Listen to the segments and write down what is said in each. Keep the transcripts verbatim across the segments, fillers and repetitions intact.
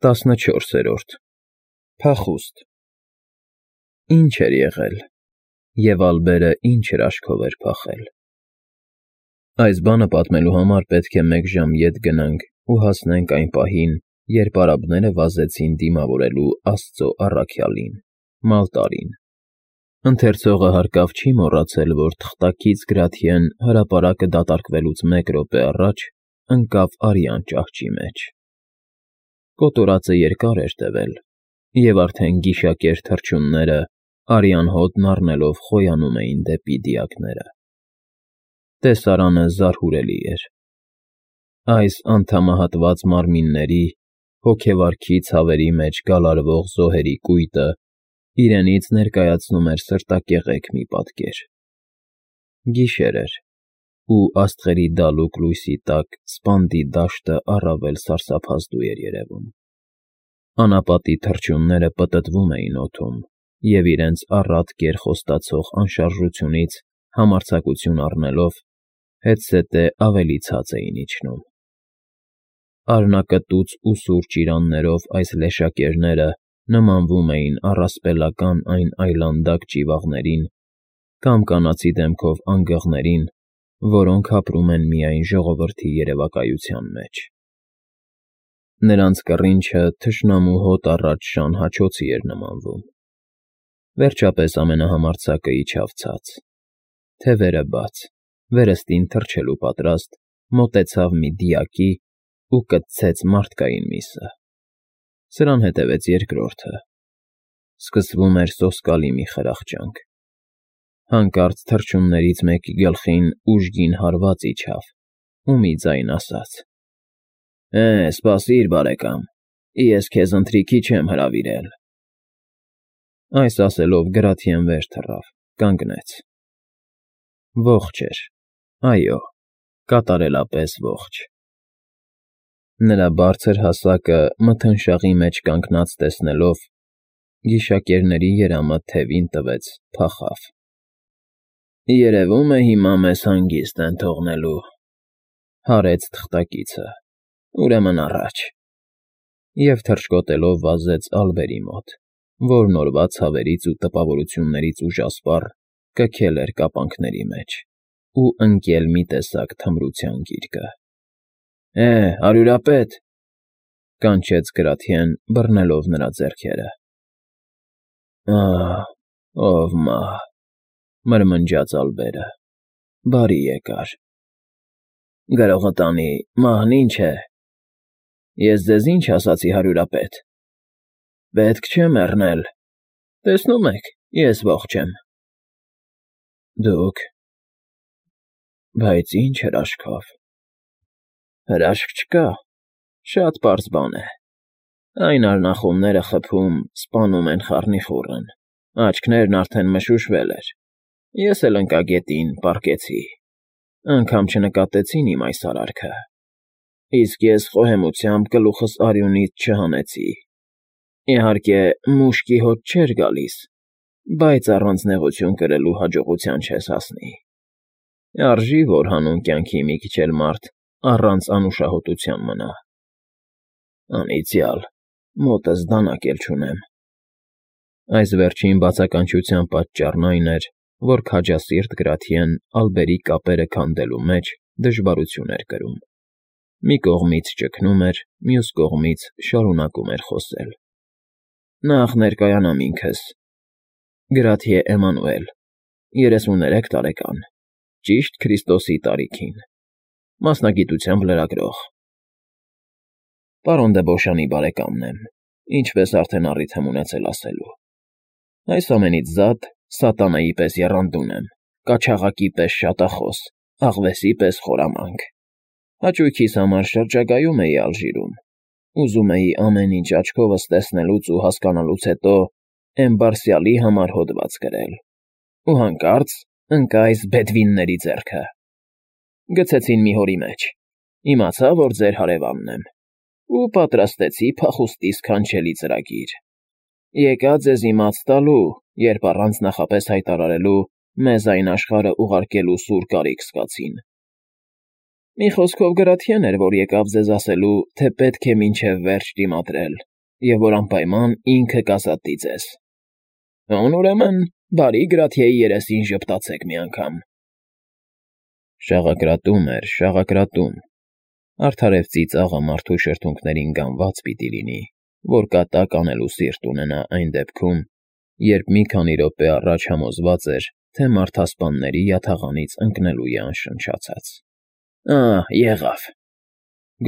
տասնչորսերորդ Փախուստ Ինչ էր եղել, և Ալբերը ինչ հրաշքով էր փախել։ Այս բանը պատմելու համար պետք է մեկ ժամ ետ գնանք ու հասնենք այն պահին, երբ արաբները վազեցին դիմավորելու Աստծո առաքյալին՝ Մալտարին։ Ընթերցողը հարկավ չի մոռացել, որ թղթակից Գրաթիեն հրապարակը դատարկվելուց մեկ րոպե առաջ ընկավ արյան ճահճի մեջ։ Կոտորածը երկար էր տևել, և արդեն գիշակեր թռչունները արյան հոտն առնելով խոյանում էին դեպի դիակները։ Տեսարանը զարհուրելի էր։ Այս անդամահատված մարմինների, հոգեվարքի ցավերի մեջ գալարվող զոհերի կույտը իրենից ներկայացնում էր սրտակեղեք մի պատկեր։ Գիշեր էր, ու աստղերի դալուկ լույսի տակ սպանդի դաշտը առավել սարսափազդու էր երևում։ Անապատի թռչունները պտտվում էին օդում և իրենց առատ կեռ խոստացող անշարժությունից համարձակություն առնելով, հետզհետե ավելի ցած էին իջնում։ Առնակտուց ու սուր ճիրաններով այս լեշակերները նմանվում էին առասպելական այն այլանդակ ճիվաղներին կամ կանացի դեմքով անգղներին, որոնք ապրում են միայն ժողովրդի երևակայության մեջ։ Նրանց կռինչը թշնամու հոտ առած շան հաչոցի էր նմանվում։ Վերջապես ամենահամարձակը իջավ ցած, թևերը բաց, վերստին թռչելու պատրաստ, մոտեցավ մի դիակի ու կտցեց մարդկային միսը։ Սրան հետևեց երկրորդը։ Սկսվում էր սոսկալի մի խրախճանք։ Հանկարծ թռչուններից մեկի գլխին ուժգին հարված իջավ ու մի ձայն ասաց. «Է, սպասիր, բարեկամ, ես քեզ ընթրիքի չեմ հրավիրել»։ Այս ասելով Գրաթիեն վեր թռավ, կանգնեց։ Ողջ էր, այո, կատարելապես ողջ։ Նրա բարձր հասակը մթնշաղի մեջ կանգնած տեսնելով, գիշակերների երամը թևին տվեց, փախավ։ «Երևում է հիմա մեզ հանգիստ են թողնելու», հարեց թղթակիցը, «ուրեմն առաջ»։ Եվ թռչկոտելով վազեց Ալբերի մոտ, որն օրվա ցավերից ու տպավորություններից ուժասպառ կքել էր կապանքների մեջ ու ընկել մի տեսակ թմրության գիրկը։ «Է, հարյուրապետ», կանչեց Գրաթիեն, բռնելով նրա ձեռքերը։ «Ահ, ով մահ», մրմնջաց Ալբերը, «բարի եկար»։ «Գրողը տանի, մահն ինչ է։ Ես ձեզ ինչ ասացի, հարյուրապետ։ Պետք չէ մեռնել, տեսնում եք, ես ողջ եմ։ Դուք… Բայց ինչ հրաշքով։ Հրաշք չկա, շատ պարզ բան է։ Այն արնախումները խփում, սպանում են խառնիխուռն, աչքներն արդեն մշուշվել էր, ես էլ ընկա գետին, պառկեցի, անգամ չնկատեցին իմ այս արարքը, իսկ ես խոհեմությամբ գլուխս արյունից չհանեցի։ Իհարկե, մուշկի հոտ չէր գալիս, բայց առանց նեղություն կրելու հաջողության չես հասնի։ Արժի, որ հանուն կյանքի մի քիչ էլ մարդ առանց անուշահոտության մնա։ Անիծյալ, մոտս դանակ էլ չունեմ։ Այս վերջին բացականչության պատճառն այն էր, որ քաջասիրտ Գրաթիեն Ալբերի կապերը քանդելու մեջ դժվարություն էր կրում։ Մի կողմից ճգնում էր, մյուս կողմից շարունակում էր խոսել. Նախ ներկայանամ ինքս. Գրաթիե Էմանուել, երեսուներեք տարեկան, ճիշտ Քրիստոսի տարիքին, մասնագիտությամբ լրագրող։ Պարոն դը Բոշանի բարեկամն եմ, ինչպես արդեն առիթ եմ ունեցել ասելու։ Այս ամենից զատ սատանայի պես եռանդուն եմ, կաչաղակի պես շատախոս, աղվեսի պես խորամանկ։ Հաճույքիս համար շրջագայում էի Ալժիրում, ուզում էի ամեն ինչ աչքովս տեսնելուց ու հասկանալուց հետո Էմբարսիալի համար հոդված գրել, ու հանկարծ ընկա այս բեդվինների ձեռքը։ Գցեցին մի հորի մեջ, իմացա, որ ձեր հարևանն եմ, ու պատրաստեցի փախուստի սքանչելի ծրագիր։ Եկա ձեզ իմաց տալու, երբ առանց նախապես հայտարարելու մեզ այն աշխարհը ուղարկելու սուր կարիք զգացին։ Մի խոսքով Գրաթիեն էր, որ եկավ ձեզ ասելու, թե պետք է մինչև վերջ դիմադրել, և որ անպայման ինքը կազատի ձեզ։ Ան ուրեմն բարի Գրաթիայի երեսին ժպտացեք մի անգամ։ Շաղակրատում էր, շաղակրատում, արդարև ծիծաղը մարդու շրթունքներին գանված պիտի լինի, որ կատակ անելու սիրտ ունենա այն դեպքում, երբ մի քանի րոպե առաջ համոզված էր, թե մարդասպանների յաթաղանից ընկնելու է անշնչացած։ Ա՜, եղավ,֊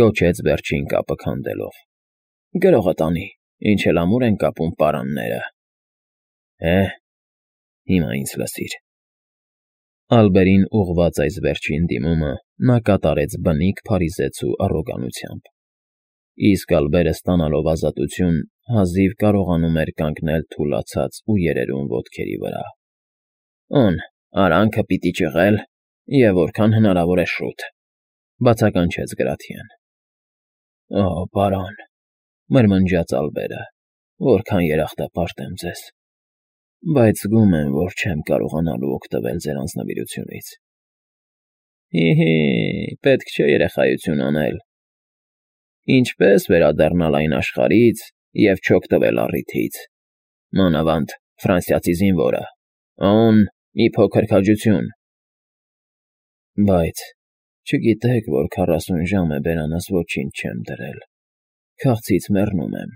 գոչեց վերջին կապը քանդելով։ Գրողը տանի, ինչ էլ ամուր են կապում պարանները։ Է՜, հիմա ինձ լսիր։ Ալբերին ուղղված այս վերջին դիմումը նա կատարեց բնիկ փարիզեցու առոգանությամբ, իսկ Ալբերը ստանալով ազատություն հազիվ կարողանում էր կանգնել թուլացած ու երերուն ոտքերի վրա։ Օն, արանքը պիտի ճղել, և որքան հնարավոր է շուտ,֊ բացականչեց Գրաթիան։ Օ, պարոն,֊ մրմնջաց Ալբերը,֊ որքան երախտապարտ եմ ձեզ, բայց զգում եմ, որ չեմ կարողանալու օգտվել ձեր անձնվիրությունից։ Հի՛֊հի՛, պետք չէ երեխայություն անել։ Ինչպե՞ս վերադառնալ այն աշխարհից և չօգտվել առիթից, մանավանդ ֆրանսիացի զինվորը, օն, մի փոքր քաջություն։ Բայց չգիտեք, որ քառասուն ժամ է բերանս ոչինչ չեմ դրել, քաղցից մեռնում եմ։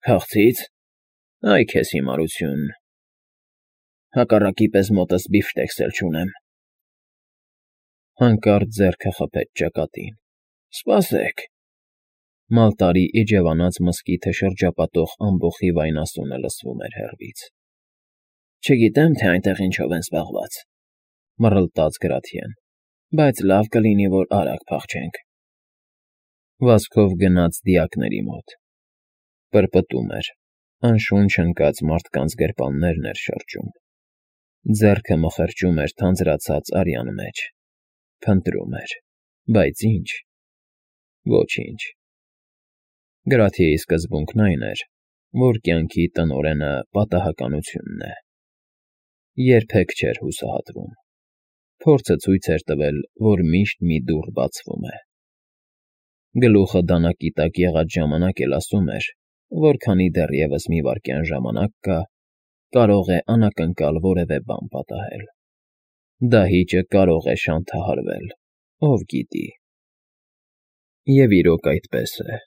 Քաղցի՞ց, այ քեզ հիմարություն, հակառակի պես մոտս բիֆշտեքս էլ չունեմ։ Հանկարծ ձեռքը խփեց ճակատին։ Սպասեք… Մալտարի իջևանած մզկիթը շրջապատող ամբոխի վայնասունը լսվում էր հեռվից։ Չգիտեմ, թե այնտեղ ինչով են զբաղված,֊ մռլտաց Գրաթիան,֊ բայց լավ կլինի, որ արագ փախչենք։ Վազքով գնաց դիակների մոտ։ Պրպտում էր, անշունչ ընկած մարդկանց գրպաններն էր շրջում։ Ձեռքը մխրճում էր թանձրացած արյան մեջ, փնտրում էր, բայց ի՞նչ։ Ոչինչ։ Գրաթիայի սկզբունքն այն էր, որ կյանքի տնօրենը պատահականությունն է։ Երբեք չէր հուսահատվում։ Փորձը ցույց էր տվել, որ միշտ մի դուռ բացվում է։ Գլուխը դանակի տակ եղած ժամանակ էլ ասում էր, որ քանի դեռևս մի վայրկյան ժամանակ կա, կարող է անակնկալ որևէ բան պատահել։ Դահիճը կարող է շանթահարվել, ով գիտի։ Եվ իրոք այդպես է։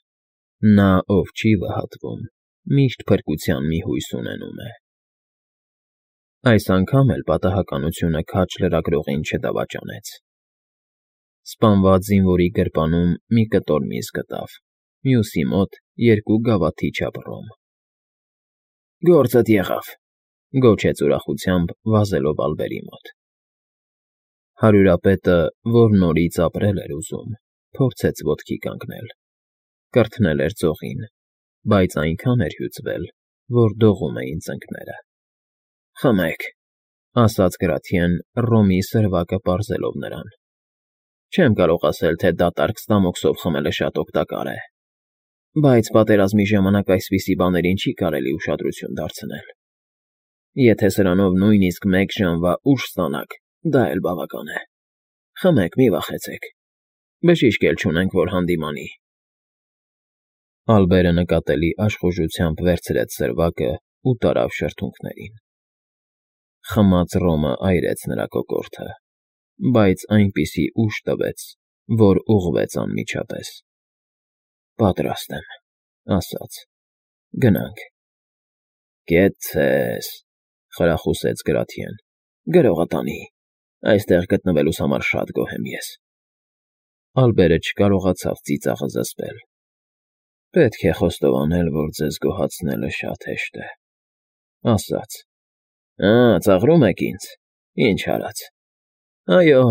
Նա, ով չի վհատվում, միշտ փրկության մի հույս ունենում է։ Այս անգամ էլ պատահականությունը քաջ լրագրողին չդավաճանեց։ Սպանված զինվորի գրպանում մի կտոր միս գտավ, մյուսի մոտ երկու գավաթի չափ ռոմ։ Գործդ եղավ,֊ գոչեց ուրախությամբ, վազելով Ալբերի մոտ։ Հարյուրապետը, որ նորից ապրել էր ուզում, փորձեց ոտքի կանգնել, կրթնել էր ծողին, բայց այնքան էր հյուծվել, որ դողում էին ծնկները։ Խմեք,֊ ասաց Գրաթիան, ռոմի սրվակը պարզելով նրան։ Չեմ կարող ասել, թե դատարկ ստամոքսով խմելը շատ օգտակար է, բայց պատերազմի ժամանակ այսպիսի բաներին չի կարելի ուշադրություն դարձնել։ Եթե սրանով նույնիսկ մեկ ժամվա ուժ ստանաք, դա էլ բավական է։ Խմեք, մի վախեցեք, բժիշկ էլ չունենք, որ հանդիմանի։ Ալբերը նկատելի աշխուժությամբ վերցրեց սրվակը ու տարավ շրթունքներին։ Խմած ռոմը այրեց նրա կոկորդը, բայց այնպիսի ուժ տվեց, որ ուղղվեց անմիջապես։ Պատրաստ եմ,֊ ասաց,֊ գնանք։ Կեցցե՛ս,֊ խրախուսեց Գրաթիան,֊ գրողը տանի, այստեղ գտնվելուս համար շատ գոհ եմ ես։ Ալբերը չկարողացավ ծիծաղը զսպել։ Պետք է խոստովանել, որ ձեզ գոհացնելը շատ հեշտ է,֊ ասաց։ Ա, ծաղրում եք ինձ, ինչ արած։ Այո,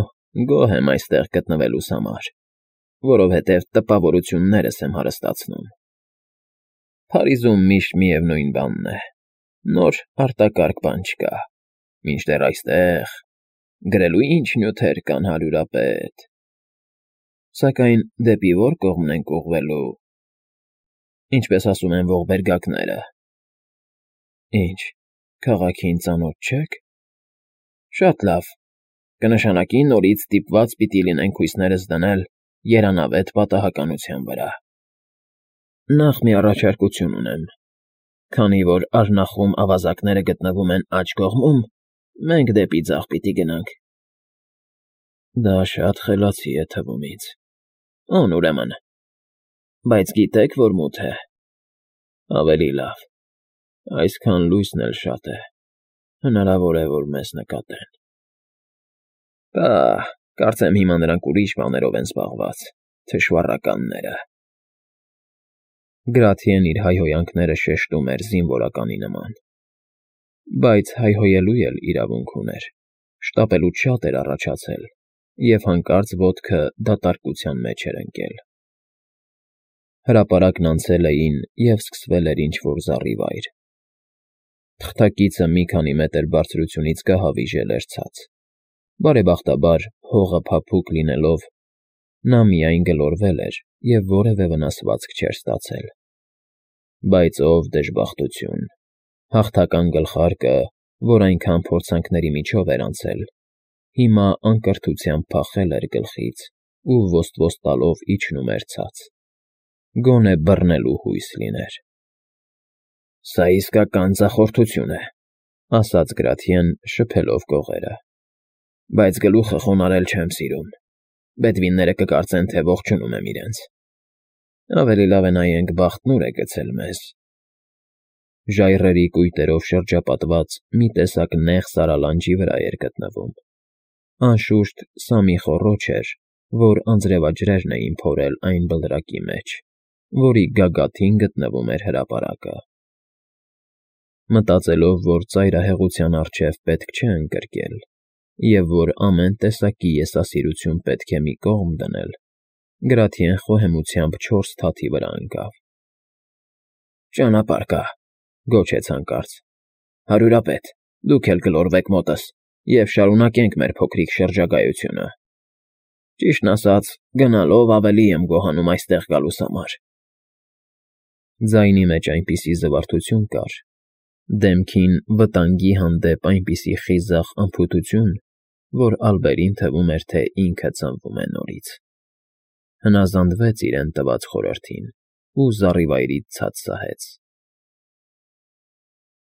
գոհ եմ այստեղ գտնվելուս համար, որովհետև տպավորություններս եմ հարստացնում։ Փարիզում միշտ միևնույն բանն է, նոր արտակարգ բան չկա, մինչդեռ այստեղ… Գրելու ինչ նյութեր կան, հարյուրապետ… Սակայն դեպի ո՞ր կողմն ենք ուղղվելու… Ինչպես ասում են ողբերգակները… Ինչ, քաղաքին ծանոթ չեք… Շատ լավ, կնշանակի նորից ստիպված պիտի լինենք հույսներս դնել երանավետ պատահականության վրա։ Նախ մի առաջարկություն ունեմ. քանի որ արնախում ավազակները գտնվում են աջ կողմում, մենք դեպի ձախ պիտի գնանք։ Դա շատ խելացի է թվում ինձ։ Ո՞ւն ուրեմն։ Բայց գիտեք, որ մութ է։ Ավելի լավ։ Այսքան լույսն էլ շատ է։ Հնարավոր է, որ մեզ նկատեն։ Պահ, կարծեմ հիմա նրանք ուրիշ բաներով են զբաղված, թշվառականները։ Գրաթիեն իր հայհոյանքները շեշտում էր զինվորականի նման։ Բայց հայհոյելու էլ իրավունք ուներ, շտապելու շատ էր առաջացել, և հանկարծ ոտքը դատարկության մեջ էր ընկել։ Հրապարակն անցել էին, և սկսվել էր ինչ֊որ զառիվայր։ Թղթակիցը մի քանի մետր բարձրությունից գահավիժել էր ցած։ Բարեբախտաբար, հողը փափուկ լինելով, նա միայն գլորվել էր և որևէ վնասվածք չէր ստացել։ Բայց ով դժբախտություն, հաղթական գլխարկը, որ այնքան փորձանքների միջով էր անցել, հիմա անկրթությամբ փախել էր գլխից ու ոստ֊ոստ տալով իջնում էր ցած, գոնե բռնելու հույս լիներ։ «Սա իսկական ձախորդություն է,֊ ասաց Գրաթիեն, շփելով կողերը,֊ բայց գլուխը խոնարհել չեմ սիրում։ Բեդվինները կկարծեն, թե ողջունում եմ իրենց։ Ավելի լավ է նայենք բախտն ուր է գցել մեզ»։ Ժայռերի կույտերով շրջապատված մի տեսակ նեղ սարալանջի վրա էր գտնվում։ Անշուշտ, սա մի խոռոչ էր, որ անձրևաջրերն էին փորել այն բլրակի մեջ, որի գագաթին գտնվում էր հրապարակը։ Մտածելով, որ ծայրահեղության առջև պետք չէ ընկրկել, և որ ամեն տեսակի եսասիրություն պետք է մի կողմ դնել, Գրաթիեն խոհեմությամբ չորս թաթի վրա ընկավ։ «Ճանապարհ կա,֊ գոչեց հանկարծ,֊ հարյուրապետ, դուք էլ գլորվեք մոտս և շարունակենք մեր փոքրիկ շրջագայությունը։ Ճիշտն ասած, գնալով ավելի եմ գոհանում այստեղ գալուս համար»։ Ձայնի մեջ այնպիսի զվարթություն կար, դեմքին վտանգի հանդեպ այնպիսի խիզախ անփութություն, որ Ալբերին թվում էր, թե ինքը ծնվում է նորից։ Հնազանդվեց իրեն տված խորհրդին ու զառիվայրից ցած սահեց։